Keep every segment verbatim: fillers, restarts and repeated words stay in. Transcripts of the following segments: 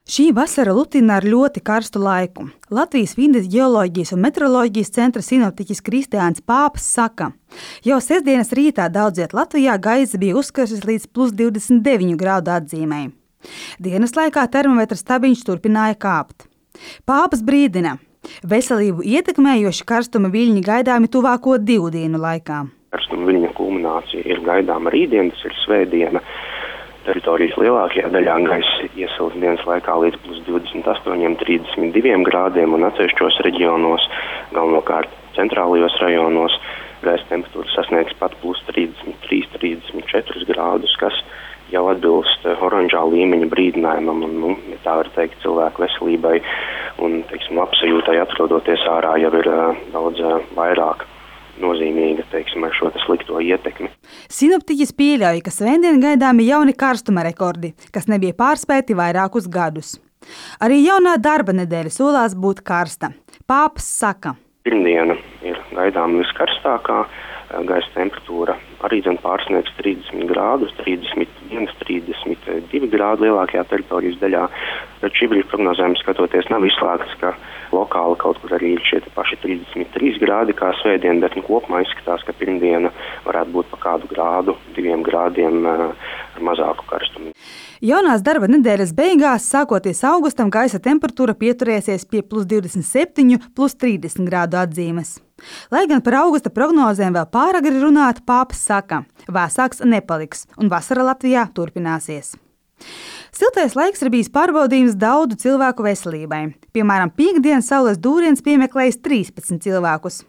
Šī vasara lutina ar ļoti karstu laiku. Latvijas vides ģeoloģijas un meteoroloģijas centra sinoptiķis Kristiāns Pāps saka, jau sestdienas rītā daudziet Latvijā gaisa bija uzkarsis līdz plus divdesmit deviņu grādu atzīmei. Dienas laikā termometra stabiņš turpināja kāpt. Pāps brīdina, veselību ietekmējoši karstuma viļņi gaidāmi tuvāko divu dienu laikā. Karstuma viļņu kulminācija ir gaidāma rītdien, tas ir svētdiena. Teritorijas lielākajā daļā gaisa iesils dienas laikā līdz plus divdesmit astoņiem, trīsdesmit diviem grādiem un atsevišķos reģionos, galvenokārt centrālajos rajonos, gaisa temperatūra sasniegs pat plus trīsdesmit trīs, trīsdesmit četri grādus, kas jau atbilst oranžā līmeņa brīdinājumam un, nu, ja tā var teikt, cilvēku veselībai un, teiksim, apsajūtai atrodoties ārā jau ir uh, daudz uh, vairāk nozīmīga, teiksim, ar šo slikto ietekmi. Sinoptiķis pieļauj, ka svētdien gaidāmi jauni karstuma rekordi, kas nebija pārspēti vairākus gadus. Arī jaunā darba nedēļa solās būt karsta. Pāps saka. Pirmdiena ir gaidāma viskarstākā, gaisa temperatūra arī dzen pārsniegs trīsdesmit grādus, trīsdesmit viens, trīsdesmit divi grādi lielākajā teritorijas daļā. Bet šī brīža prognozēm skatoties nav izslēgts, ka lokāli kaut kur arī ir šie paši trīsdesmit trīs grādi kā svētdien, bet nu, kopumā izskatās, ka pirmdiena varētu būt pa kādu grādu, diviem grādiem ar mazāku karstumu. Jaunās darba nedēļas beigās, sākoties augustam, gaisa temperatūra pieturēsies pie plus divdesmit septiņu, plus trīsdesmit grādu atzīmes. Lai gan par augusta prognozēm vēl pāragri runāt, Pāps saka, vēsāks nepaliks un vasara Latvijā turpināsies. Siltais laiks ir bijis pārbaudījums daudzu cilvēku veselībai. Piemēram, piektdienas saules dūriens piemeklējis trīspadsmit cilvēkus.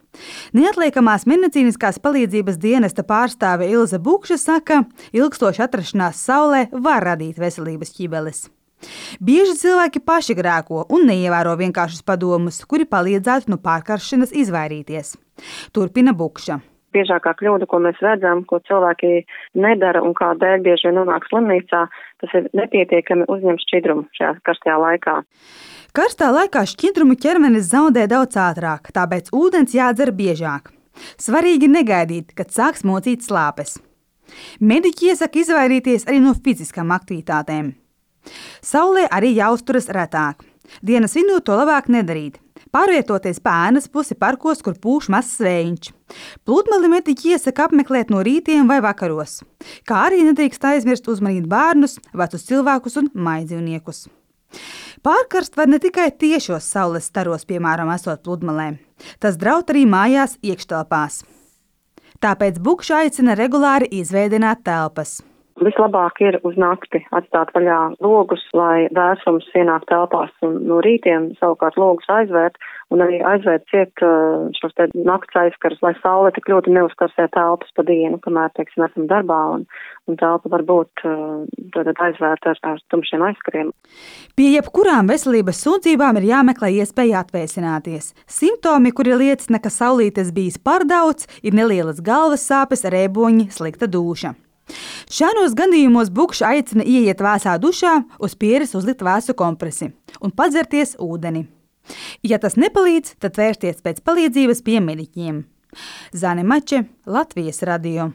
Neatliekamās medicīniskās palīdzības dienesta pārstāve Ilze Bukša saka, ilgstoša atrašanās saulē var radīt veselības ķibeles. Bieži cilvēki paši grēko un neievēro vienkāršus padomus, kuri palīdzētu no pārkaršanas izvairīties. Turpina Bukša. Biežākā kļūda, ko mēs redzam, ko cilvēki nedara un kādēļ bieži vien nonāk slimnīcā, tas ir nepietiekami uzņemt šķidrumu šajā karstajā laikā. Karstā laikā šķidrumu ķermenis zaudē daudz ātrāk, tāpēc ūdens jādzer biežāk. Svarīgi negaidīt, kad sāks mocīt slāpes. Mediķi iesaka izvairīties arī no fiziskām aktivitātēm. Saulē arī jāuzturas retāk. Dienas vidū to labāk nedarīt. Pārvietoties pa ēnas pusi parkos, kur pūš mazs vējiņš. Pludmali mediķi iesaka apmeklēt no rītiem vai vakaros, kā arī nedrīkst aizmirst uzmanīt bērnus, vecus cilvēkus un maidzīvniekus. Pārkarst var ne tikai tiešos saules staros, piemēram, esot pludmalē. Tas draud arī mājās iekštelpās. Tāpēc Bukša aicina regulāri izveidināt telpas. Vislabāk ir uz nakti atstāt vaļā logus, lai vēsums ienāk telpās un no rītiem savukārt logus aizvērt un arī aizvērt ciet šos te nakts aizskars, lai saule tik ļoti neuzkarsē telpas pa dienu, kamēr, teiksim, esam darbā un, un telpa var būt tad aizvērta ar, ar tumšiem aizskariem. Pie jebkurām veselības sūdzībām ir jāmeklē iespēja atvēsināties. Simptomi, kuri liecina, ka saulītes bijis par daudz, ir nelielas galvas sāpes, rēboņi, slikta dūša. Šādos gadījumos Bukša aicina ieiet vēsā dušā, uz pieres uzlikt vēsu kompresi un padzerties ūdeni. Ja tas nepalīdz, tad vērsties pēc palīdzības pie mediķiem. Zane Mače, Latvijas radio.